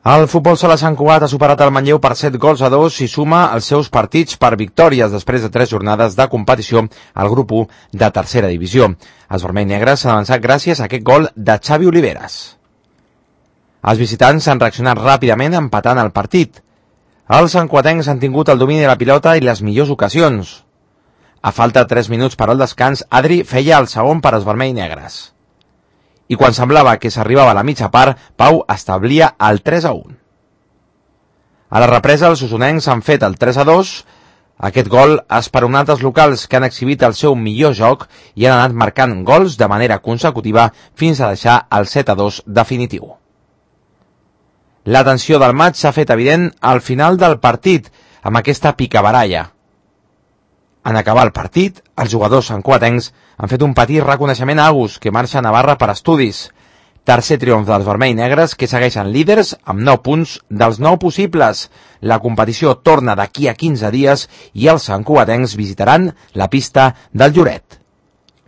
El futbol sala Sant Cugat ha superat el Manlleu per 7-2 i suma els seus partits per victòries després de 3 jornades de competició al grup 1 de tercera divisió. Els vermells-negres s'han avançat gràcies a aquest gol de Xavi Oliveras. Els visitants han reaccionat ràpidament empatant el partit. Els santcuatencs han tingut el domini de la pilota i les millors ocasions. A falta de 3 minuts per al descans, Adri feia el segon per als vermells-negres. I quan semblava que s'arribava a la mitja part, Pau establia el 3-1. A la represa, els osonencs han fet el 3-2. Aquest gol ha esperonat els locals, que han exhibit el seu millor joc i han anat marcant gols de manera consecutiva fins a deixar el 7-2 definitiu. La tensió del maig s'ha fet evident al final del partit, amb aquesta picabaralla. En acabar el partit, els jugadors santcuatencs han fet un petit reconeixement a Agus, que marxa a Navarra per estudis. Tercer triomf dels vermells-negres, que segueixen líders amb 9 punts dels 9 possibles. La competició torna d'aquí a 15 dies i els santcuatencs visitaran la pista del Lloret.